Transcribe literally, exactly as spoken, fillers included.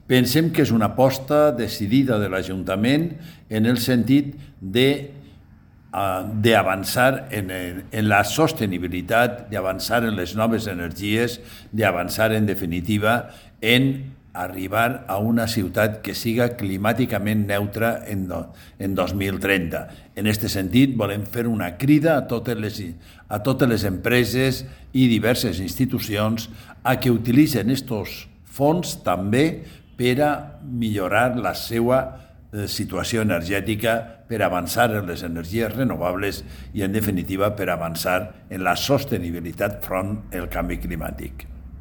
Pensem que és una aposta decidida de l'Ajuntament en el sentit de d'avançar en, en la sostenibilitat, d'avançar en les noves energies, d'avançar en definitiva en arribar a una ciutat que siga climàticament neutra en, do, en dos mil trenta. En aquest sentit, volem fer una crida a totes les, a totes les empreses i diverses institucions a que utilitzen aquests fons també per a millorar la seva situació energètica, per avançar en les energies renovables i, en definitiva, per avançar en la sostenibilitat front al canvi climàtic.